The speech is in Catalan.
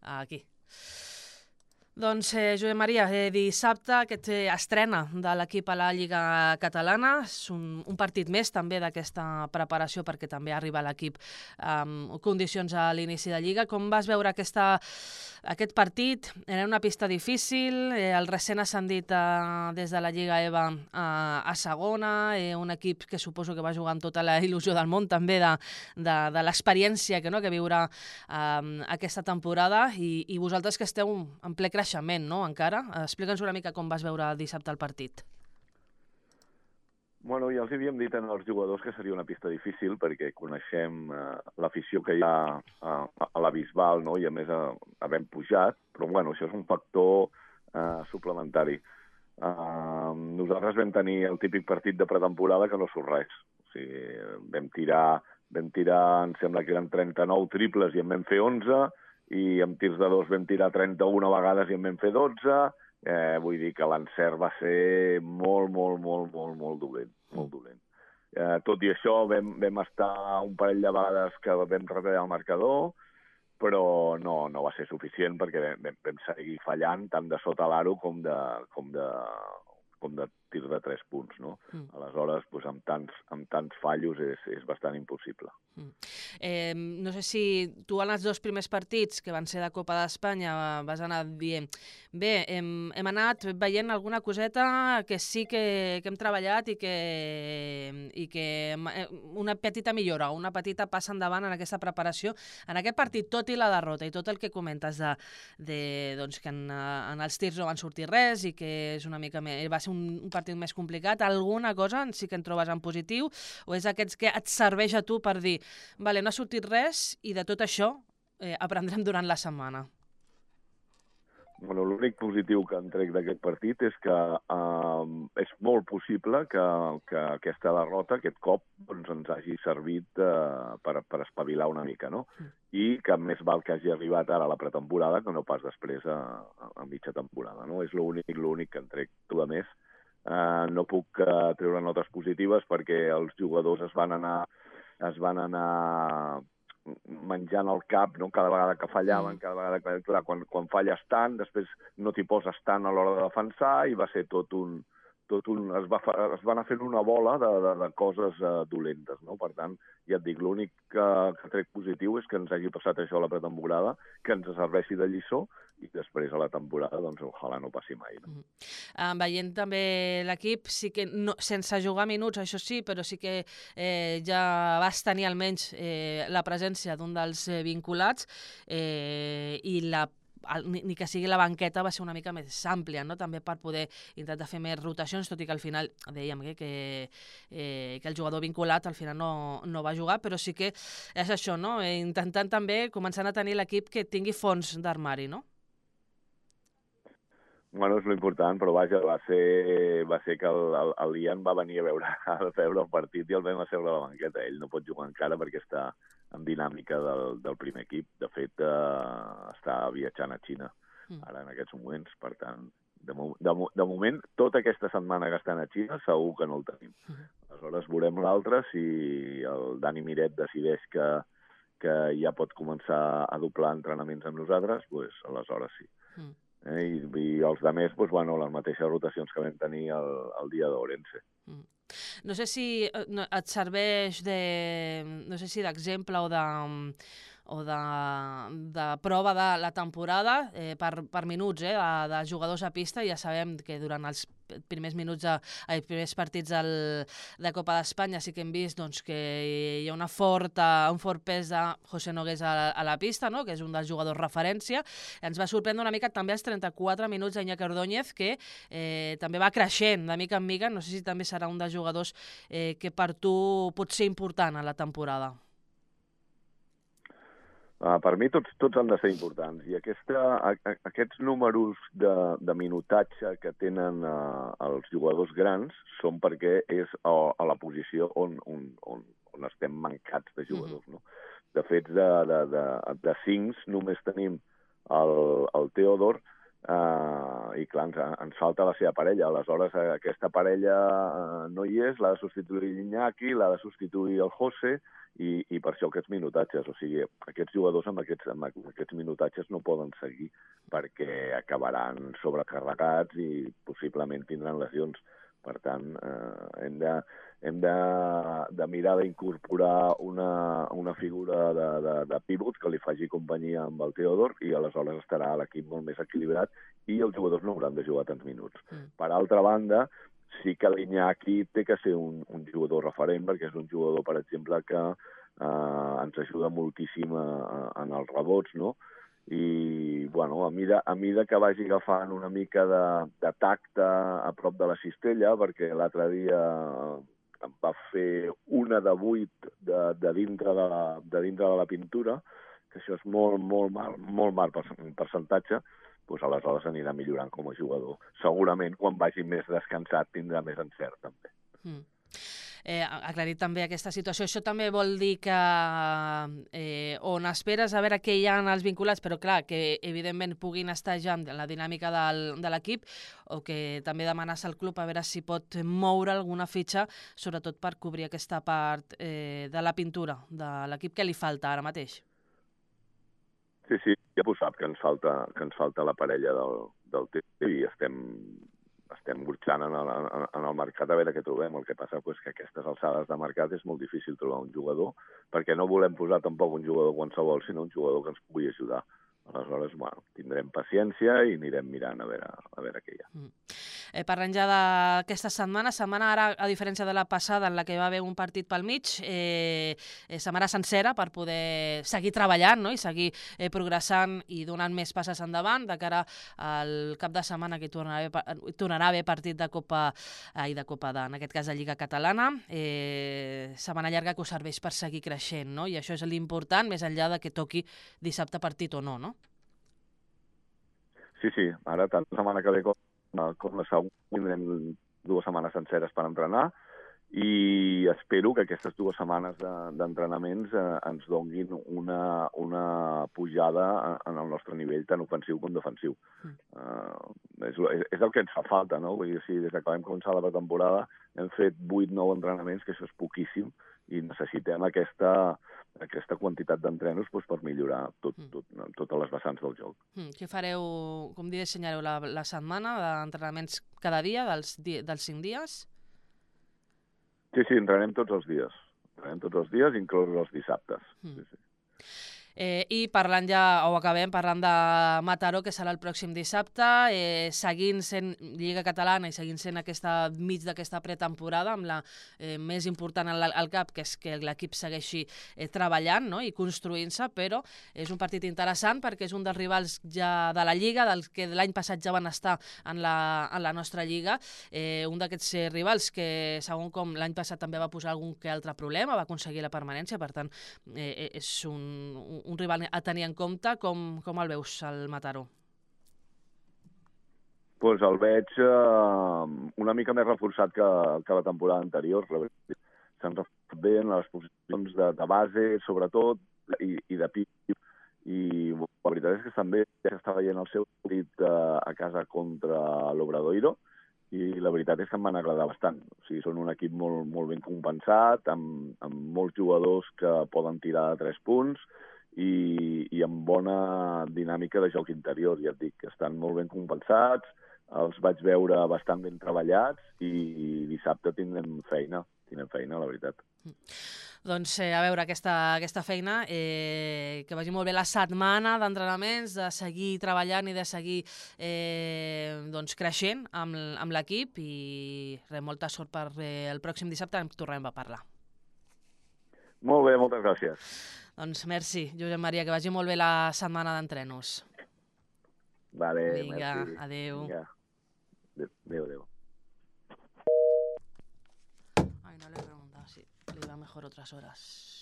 aquí. Doncs, Josep Maria, dissabte aquest estrena de l'equip a la Lliga Catalana. És un partit més també d'aquesta preparació perquè també arriba l'equip amb condicions a l'inici de Lliga. Com vas veure aquest partit? Era una pista difícil, el recent ascendit des de la Lliga EVA a segona, un equip que suposo que va jugar amb tota la il·lusió del món també de l'experiència que viurà aquesta temporada i vosaltres que esteu en ple creixement, no, encara? Explica'ns una mica com vas veure dissabte el partit. Bueno, ja els havíem dit als jugadors que seria una pista difícil perquè coneixem l'afició que hi ha a la Bisbal, no? I a més havent pujat, però bueno, això és un factor suplementari. Nosaltres vam tenir el típic partit de pretemporada que no surt res. O sigui, vam tirar, em sembla que eren 39 triples i en vam fer 11, i amb tirs de 2 vam tirar 31 vegades i en vam fer 12. Vull dir que l'encert va ser molt dolent. Molt dolent. Tot i això vam estar un parell de vegades que vam retallar el marcador, però no va ser suficient perquè vam seguir fallant tant de sota l'aro com de tir de 3 punts, no? Aleshores, doncs, amb tants fallos és bastant impossible. No sé si tu en els 2 primers partits, que van ser de Copa d'Espanya, vas anar dient bé, hem anat veient alguna coseta que sí que hem treballat i que una petita millora, una petita passa endavant en aquesta preparació. En aquest partit, tot i la derrota i tot el que comentes doncs que en els tirs no van sortir res i que és una mica més, va ser un partit més complicat, alguna cosa sí que en trobes en positiu o és aquests que et serveix a tu per dir vale, no ha sortit res i de tot això aprendrem durant la setmana? Bueno, l'únic positiu que en trec d'aquest partit és que és molt possible que aquesta derrota, aquest cop, doncs, ens hagi servit per espavilar una mica, no? I que més val que hagi arribat ara a la pretemporada que no pas després a mitja temporada, no? És l'únic que en trec. A més, no puc treure notes positives perquè els jugadors es van anar menjant el cap, no? Cada vegada que fallaven, cada vegada que... Quan falles tant, després no t'hi poses tant a l'hora de defensar i va ser es va anar fent una bola de coses dolentes, no? Per tant, ja et dic, l'únic que trec positiu és que ens hagi passat això a la pretemporada, que ens serveixi de lliçó i després a la temporada, doncs, ojalà no passi mai. No? Veient també l'equip, sí que sense jugar minuts, això sí, però sí que ja vas tenir almenys la presència d'un dels vinculats i ni que sigui la banqueta va ser una mica més àmplia, no? També per poder intentar fer més rotacions, tot i que al final dèiem que el jugador vinculat al final no va jugar, però sí que és això, no? Intentant també començant a tenir l'equip que tingui fons d'armari, no? Bueno, és l'important, però vaja, va ser que el Ian va venir a veure el partit i el vam asseure a la banqueta. Ell no pot jugar encara perquè està en dinàmica del primer equip. De fet, està viatjant a Xina ara en aquests moments. Per tant, de moment, tota aquesta setmana que estan a Xina segur que no el tenim. Aleshores veurem l'altre, si el Dani Miret decideix que ja pot començar a doblar entrenaments amb nosaltres, doncs aleshores sí. I els altres, doncs, bueno, les mateixes rotacions que vam tenir el dia d'Ourense. No sé si et serveix d'exemple o de prova de la temporada per minuts de jugadors a pista. Ja sabem que durant els primers partits de Copa d'Espanya sí que hem vist doncs, que hi ha un fort pes de José Nogués a la pista, no? Que és un dels jugadors referència. Ens va sorprendre una mica també els 34 minuts d'Iñaki Ordóñez, que també va creixent de mica en mica. No sé si també serà un dels jugadors que per tu pot ser important a la temporada. Per mi tots han de ser importants i aquests números de minutatge que tenen els jugadors grans són perquè és a la posició on estem mancats de jugadors. No? De fet, de 5 només tenim el Teodor, i clar, ens falta la seva parella. Aleshores, aquesta parella no hi és, l'ha de substituir l'Iñaki, l'ha de substituir el José, i per això aquests minutatges. O sigui, aquests jugadors amb aquests minutatges no poden seguir perquè acabaran sobrecarregats i possiblement tindran lesions. Per tant, hem de mirar d'incorporar una figura de pivot que li faci companyia amb el Teodor i aleshores estarà l'equip molt més equilibrat i els jugadors no hauran de jugar tants minuts. Per altra banda, sí que l'Iñaki té que ser un jugador referent perquè és un jugador, per exemple, que ens ajuda moltíssim en els rebots, no? I, bueno, a mida que vagi agafant una mica de tacte a prop de la cistella, perquè l'altre dia va fer una de 8 de dintre de la pintura, que això és molt mal percentatge, doncs aleshores anirà millorant com a jugador. Segurament quan vagi més descansat tindrà més encert, també. Aclarit també aquesta situació. Això també vol dir que on esperes a veure què hi ha en els vinculats, però clar, que evidentment puguin estar ja en la dinàmica de l'equip, o que també demanes al club a veure si pot moure alguna fitxa, sobretot per cobrir aquesta part de la pintura de l'equip que li falta ara mateix. Sí, ja ho sap, que ens falta la parella del temps i estem burxant en el mercat a veure què trobem. El que passa és que a aquestes alçades de mercat és molt difícil trobar un jugador, perquè no volem posar tampoc un jugador qualsevol, sinó un jugador que ens pugui ajudar. Aleshores, bueno, tindrem paciència i anirem mirant a veure què hi ha. Parlem ja d'aquesta setmana ara, a diferència de la passada, en la que va haver un partit pel mig, setmana sencera per poder seguir treballant, no? I seguir progressant i donant més passes endavant de cara al cap de setmana que tornarà a haver partit de Copa, en aquest cas de Lliga Catalana. Setmana llarga que us serveix per seguir creixent, no? I això és l'important, més enllà de que toqui dissabte partit o no, no? Sí, ara tant la setmana que ve com la següent tindrem 2 setmanes senceres per entrenar i espero que aquestes 2 setmanes d'entrenaments ens donguin una pujada en el nostre nivell tant ofensiu com defensiu. És el que ens fa falta, no? Vull dir, si des que vam començar la pretemporada hem fet 8-9 entrenaments, que això és poquíssim, i necessitem aquesta quantitat d'entrenos per millorar totes les vessants del joc. Què fareu, com dissenyareu la setmana d'entrenaments cada dia, dels 5 dies? Sí, entrenem tots els dies. Entrenem tots els dies, inclòs els dissabtes. Sí. I parlant acabem parlant de Mataró, que serà el pròxim dissabte, seguint sent Lliga Catalana i seguint sent mig d'aquesta pretemporada, amb la més important al cap, que és que l'equip segueixi treballant, no? I construint-se, però és un partit interessant perquè és un dels rivals ja de la Lliga, dels que l'any passat ja van estar en la nostra Lliga, un d'aquests rivals que, segons com l'any passat també va posar algun que altre problema, va aconseguir la permanència, per tant, és un rival a tenir en compte. Com el veus, el Mataró? Doncs el veig una mica més reforçat que la temporada anterior. S'han reforçat bé en les posicions de base, sobretot, i de pit. I la veritat és que també s'està veient el seu partit a casa contra l'Obradoiro, i la veritat és que em van agradar bastant. O sigui, són un equip molt ben compensat, amb molts jugadors que poden tirar de 3 punts, i amb bona dinàmica de joc interior. Ja et dic que estan molt ben compensats, els vaig veure bastant ben treballats i dissabte tindrem feina, la veritat. Doncs a veure aquesta feina, que vagi molt bé la setmana d'entrenaments, de seguir treballant i de seguir creixent amb l'equip, i molta sort per el pròxim dissabte, en tornem a parlar. Molt bé, moltes gràcies. Doncs merci, Josep Maria, que vagi molt bé la setmana d'entrenos. Vale, vinga, merci. Adéu. Vinga. Adéu. Ay, no le he preguntado si le iba mejor otras horas.